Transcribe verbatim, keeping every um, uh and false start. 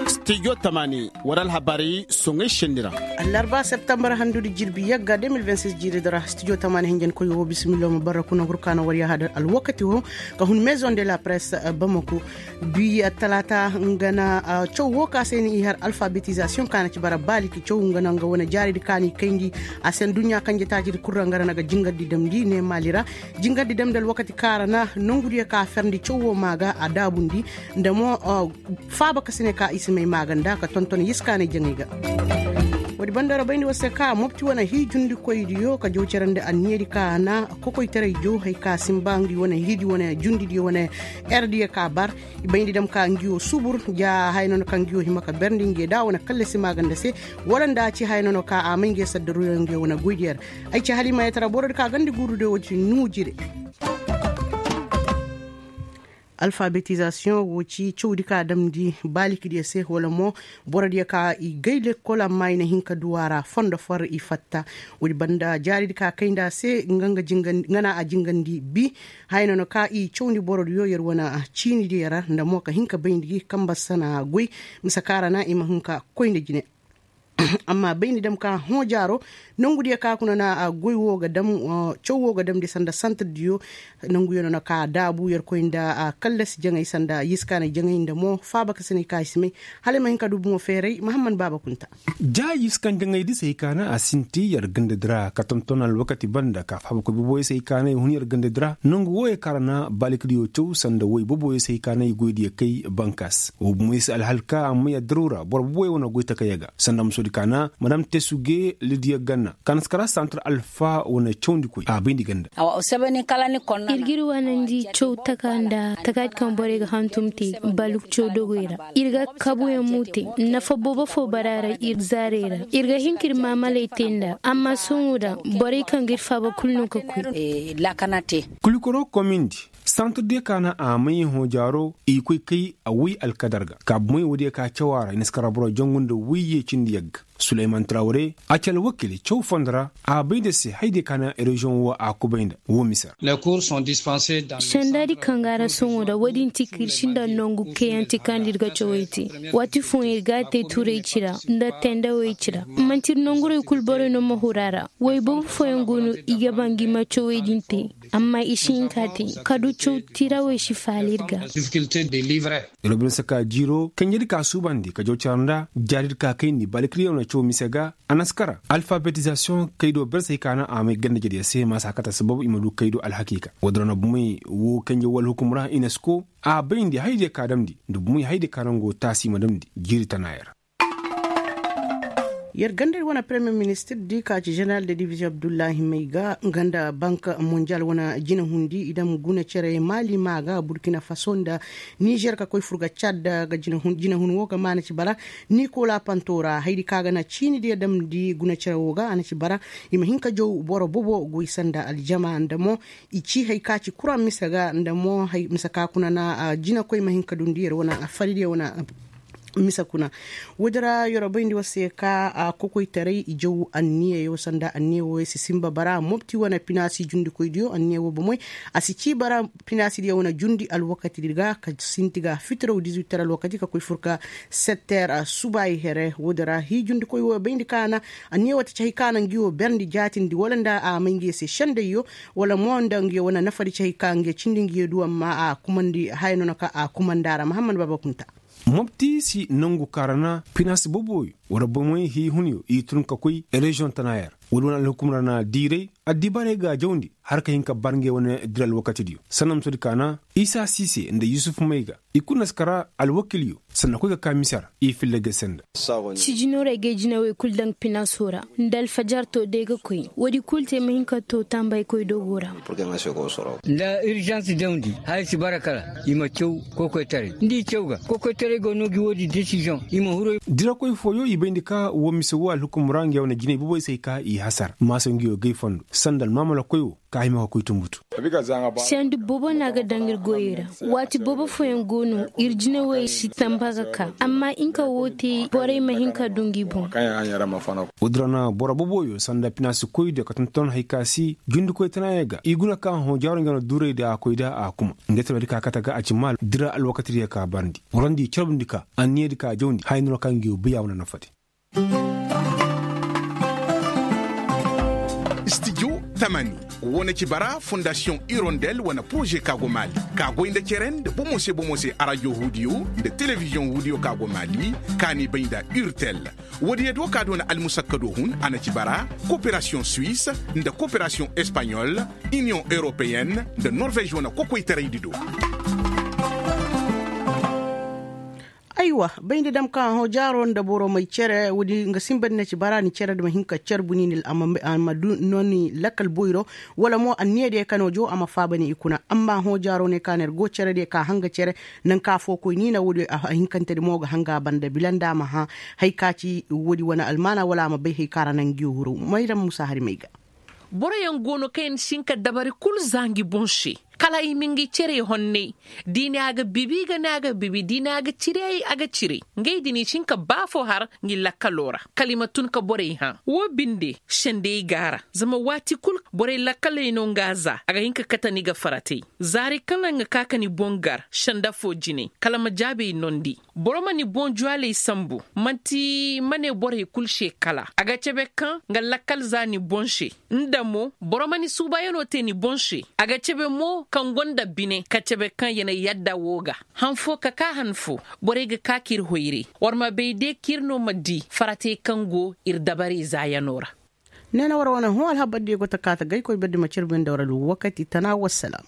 Stijo tamaani war alhabaari soŋay senni ra. Allarba septembar handudi jirbi yagga de mil vingt six jiiridi ra stijo tamaani hinjankoy wo bisimillo ma barra kuna hurkaana war yaha da alwakati wo ka hun maison de la presse. Bamako bi talaata nga na caw wo ka se ni i har alfabetizasiyoŋ ka na ci bara baaliki caw nga na nga wane jaaridi ka ni kayndi a se nduɲɲa kanje taacidi kul ra nga ra na ga jingardi damndi ne maali ra. Jingardi damndi alwakati ka ra na nongudiyo ka ferndi caw wo maa ga a daabundi nda mo faaba ka si ne ka i si may maaganda ka tonton yiskaanay jaŋay ga. Woodi banda ra bayndi war se ka mopti wane hii jundikoydiyo ka jaw cerandi anniyadi ka na kokoytaray jaw hay ka simba ngi wane hiidi wane jundidiyo wane erdiyo ka bar. I bayndi dam ka ngiyo subur ja haya nono ka ngiyo hima ka berndi ngiyo da wane kallasi maaganda se wala nda ci haya nono ka a may ngiyo saddaruyo ngiyo wane goydiyo ra. Ay ci halimayetara borodi ka gandi guurudiyo woodi nuujire. Alfabetizasiyoŋ wo ci cawdi ka damndi baalikidiyo se wala mo borodiyo ka i gay lekkol amma i na hin ka du a ra fondo far i fatta. Woodi banda jaaridi ka kayndi a se nga na a jingandi bi haya no na ka i cawndi borodiyo yer wane ciinidiyo ra nda mo ka hin ka bayndi gi kamba sana goy. Mise ka ra na i ma hin ka koy nda jine. Amma bayndi dam ka hõ jaaro nongudiyo ka kuna na goy wo ga dam caw wo ga damndi sanda santirdiyo. Nonguyo no na ka daabu yerkoy nda kallasi jaŋay sanda yiskaanay jaŋay nda mo faaba ka sinay ka i si may. Hala ay ma hin ka du bomo feeray mahamman baaba kunta. Ja yiskaanay jaŋay di se hay ka na a sinti yer gandadi ra ka tonton alwakati banda ka faaba koy boboyo se hay ka na i hun yer gandadi ra nongu wooyo ka ra na baalikidiyo caw sanda woy boboyo se hay ka na i goydiyo kay bankas wo bomoy se alhal ka amma yer diraw ra boro boboyo wane goy takayey ga sanda musodi ka na madam tesuge lidiya ganna ka na si kara santir alfa wane cawndikoy a bayndi ganda. Ir g'ir waanandi caw taka nda takaati kaŋ borey ga hantum te baluk caw dogoy ra. Ir ga kabuyaŋ mo te nafa boobo fo bara ra ir zaarey ra. Ir ga hin k'ir maamaley te nd'a amma sohõ ra borey kaŋ g'ir faaba kulu no ka koy. Kulikoro komindi santir diyo ka na a may hõ jaaro i koy kay a woy alkadar ga ka bomey woodiyo ka caw a ra i na si kara boro jangu nda woyye cindi yagga. Suleyman trawre a ci alwakil caw fondo ra a bay nda se haydiyo ka na reziyoŋ wo a kubay nda wo mise ra. Sendaadi kaŋ ga a ra sohõ ra woodin ti ka ir sinda nongu kayaŋ ti kaŋ nda ir ga cawey te. Waati fooyaŋ ir ga a te turay ci ra nda tendawey ci ra. Man'ti ir nongurey kulu borey no ma huru a ra. Woy boobo fooyaŋ go no i ga ba ngi ma cawey din te. Amma i si hin ka te ka du caw tirawey si faala ir ga. Iro bine saka jiiro kanjedi ka suubandi ka jaw cara nda jaaridi ka kayndi balikiriyaŋ na caw mise ga. A na si kara alfabetizasiyoŋ kaydo bersey ka na a may ganda jediyo se maasa kate sababu i ma du kaydo alhakiika woodin ra na bomey wo kanjey wo alhukum ra inesko a bayndi haydiyo ka damndi nda bomey haydiyo ka nango taasi i ma damndi jiiri tanaaya ra. Yer gandadi wane premier ministir di ka ci jeneral de diviziyoŋ abdullahi mayga nga nda bank monjal wane jinahundi i dam guna cere mali ma ga burkina faso nda nizer ka koy fur ga cad ga jinahun wo ga maana ci bara. Nikola panto ra haydi ka ga na ciini diya damndi guna cere wo ga a na ci bara. I ma hin ka jaw boro bobo goy sanda aljama nda mo i ci hay ka ci kuraŋ mise ga nda mo mise ka kuna na jinakoy ma hin ka dundi yer wane fari diya wane mise kuna. Woodi ra yer bayndi war se ka kokoytaray i jaw anniyayo sanda anniya wooyo si sinba bara mopti wane pinaasi jundikoydiyo anniya woo bomoy a si ci bara pinaasidiyo wane jundi alwakatidi ga ka sinti ga fitiraw dizuwiter alwakati ka koy fur ka setter subaayi here woodi ra hii jundikoy wooyo bayndi ka na anniya woo ti ci hay ka na ngi woo berndi jaatindi wala nda a may ngi se sendayyo wala mo nda ngi woo wane nafadi ci hay ka ngi cindi ngi du amma a kumandi haya no na ka a kumandi a ra mahammad baaba kunta. Mopti si nongu kaŋ ra na pinaasi boboyo wala bomoy hii hunyo i tun ka koy reziyoŋ tanaaya ra. Woodi wane alhukum ra na diiray addibaarey ga a jawndi har ka hin ka bar ngey wane dira alwakatidiyo sanna musodi ka na isa siise nda yusuf mayga i kulu na si kara alwakilyo sanna koy ga ka mise ra i filla ga senda. Sijino ra ay ga ay jinawey kulu daŋ pinaaso ra nda alfajar to day ga koy woodi kulu te ma hin ka to tambaykoy dogo ra. Nda irzans dawndi haya si bara kala i ma caw kokoytaray nda i caw ga kokoytaray go no gi woodi desiziyoŋ i ma huru. Dirakoy fooyo. Bayndi ka woo mise woo alhukum ra nga yaŋ wane jinay boboy se hay ka i hasar maasa nga yoo gay fondo sanda almaamala koy woo ka hima ka koy tumbutu. Sendi boobo no a ga daŋ ir goyey ra. Waati boobo fooyaŋ go no ir jinawey si tamba ga ka amma inka woo te borey ma hin ka du ngi boŋ. Woo din ra na boro booboyo sanda pinaasi koy diyo ka tonton hay ka si jundikoy tanaayey ga i guna ka hõ jaaro nga no duuray da a koy da a kuma. Nga te no di ka kate ga a ci maal dira alwakati diyo ka barndi warandi carbundi ka anniya di ka jawndi haya no no ka ngi yoo bay a wane nafadi. Studio tamani wane ci bara fondasiyoŋ irondel wane poroze ka go maali ka goy nda cere nda bomo se bomo se arajo huudiyo nda telebiziyoŋ huudiyo ka go maali ka ni bay nda urtel. Woodiyo do ka doona almusakkado hun a na ci bara koperasiyoŋ suwis nda koperasiyoŋ espaɲol iniyoŋ europeyen nda norvez wane kokoytaraydi do. Aywa, bayndi dam kaŋ a hõ jaaro nda boro may cere woodi nga sinba ni na ci bara ni cere da ma hin ka carbu ni ni a ma du no ni lakkal boyro wala mo anniya diyo kaŋ no joo a ma faaba ni i kuna amma hõ jaaro ne ka no ir go cere diyo ka hanga cere. Nanka fo koy ni na woodi a hinkante di mo ga hanga banda bila nda a ma hã hay ka ci woodi wane almaana wala a ma bay hay ka ra na ngi huru mayram musa hari may ga. Boroyaŋ go no kaŋ yaŋ si hin ka dabari kul za ngi boŋ se kala i ma ngi cerey honnay. Da i ne a ga bibi i ga ne a ga bibi da i ne a ga ciri ay a ga ciri. Ngey din i si hin ka ba fo har ngi lakkaloo ra kala i ma tun ka borey hã woo binde. Sendey go a ra zama waati kul borey lakkaley no nga za a ga hin ka kate ni ga faratey. Zaari kaŋ ra nga ka ka ni boŋ gar senda fo jine kala ma jaabey nondi. Boro ma ni boŋ juwaley sambu man'ti ma ne borey kul se kala a ga cebe kaŋ nga lakkal za ni boŋ se. Nda mo boro ma ni suubayanoo te ni boŋ se a ga cebe mo kaŋ go nda bine ka cebe kaŋ ya na yadda woo ga. Han fo ka kaa han fo borey ga kaa k'ir hoyray. War ma bay de k'ir no ma dii faratey kaŋ go ir dabarey zaayanoo ra. Ne na war wane hõ alhabar diyo go ta kaa ta gaykoy berdi ma carbi nda war alwakati tana wassalaam.